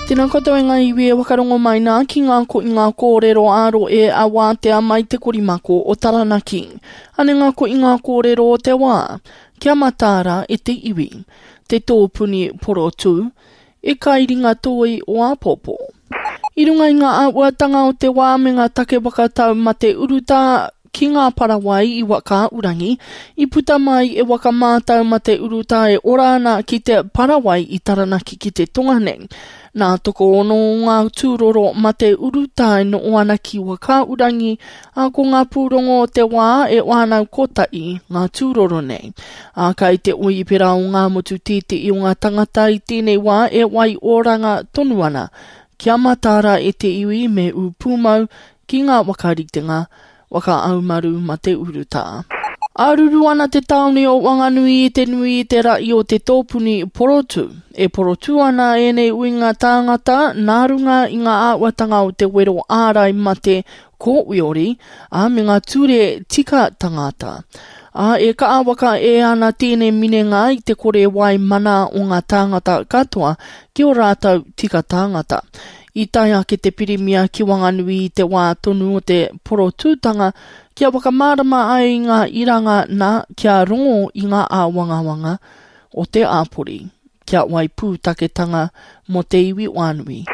Tēnā koutou e ngā iwi e whakarongo mai nā ki ngā ko i ngā kōrero ā-rohe a wātea mai te korimako o Taranaki. Ane ngā ko i ngā kōrero o te wā, kia mataara e te iwi, te tōpuni porotū, e kai ringa toi o āpōpō. I runga i ngā āhuatanga o te wā me ngā take whakatau mate urutā ki ngā parawai i Whakaaurangi, i puta mai e waka mātau mate urutā e ora ana ki te parawai i Taranaki ki te tonga nei. Nā tokoono o ngā tūroro mate urutā e noho ana ki Whakaaurangi, ā, ko ngā pūrongo o te wā e whānau kotahi ngā tūroro nei. Ā, kai te oipera o ngā motu tīti'i o ngā tangata i tēnei wā e wai oranga tonu ana. Kia mataara e te iwi me ū pūmau ki ngā whakaritenga waka aumaru mate urutā. Āruru ana te tāone o Wanganui i te nui i te rahi o te tōpuni porotū. E porotū ana ēnei uinga tāngata nā runga i ngā āhuatanga o te wero ārai mate kōiori, ā, me ngā ture tika tangata. Ā, e kaha waka e ana tēnei minenga i te kore wai mana o ngā tāngata katoa ki ō rātou tika tāngata. I tae ake te Pirimia ki Wanganui i te wā tonu o te porotūtanga kia whakamārama ai i ngā iranga nā kia rongo i ngā āwangawanga o te āpori. Kia wai pūtaketanga mō te iwi whānui.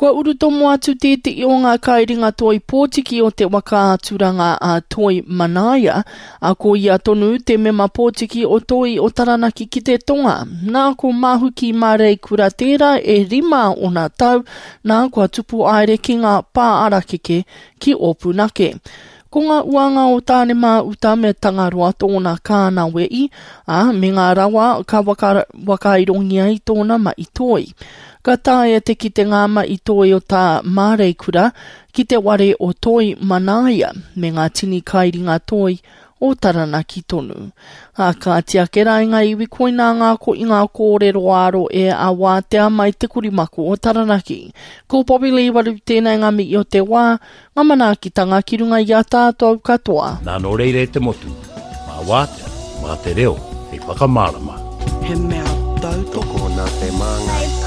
Kua urutomo atu tētehi o ngā kairingatoi pōtiki o te whakaaturanga a Toi Manaia, ā, ko ia tonu te mema pōtiki o Toi o Taranaki ki te Tonga. Nā, ko Mahuki Māreikura tērā e rima ōna tau, nā, kua tupu aere ki ngā pā arakeke ki Ōpunake. Ko ngā uanga o Tāne-mā-uta me Tangaroa tōna kānawe-i, ā, me ngā rawa ka waka, wakairongia i tōna mahi toi. Ka taea te kite ngā mahi toi o tā Māreikura ki te ware o Toi Manaia me ngā tini kairinga toi o Taranaki tonu. Ā, kāti ake rā i ngā iwi koinā ngā ko i ngā kōrero ā-rohe a Wātea mai te korimako o Taranaki. Ko Bobby Lee Waru tēnei ngā mihi o te wā, Ngā manaakitanga ki runga i a tātou katoa. Nā nō reira e te motu, mā Wātea, mā te reo hei whakamārama. He mea tautoko. Tokona te māngai.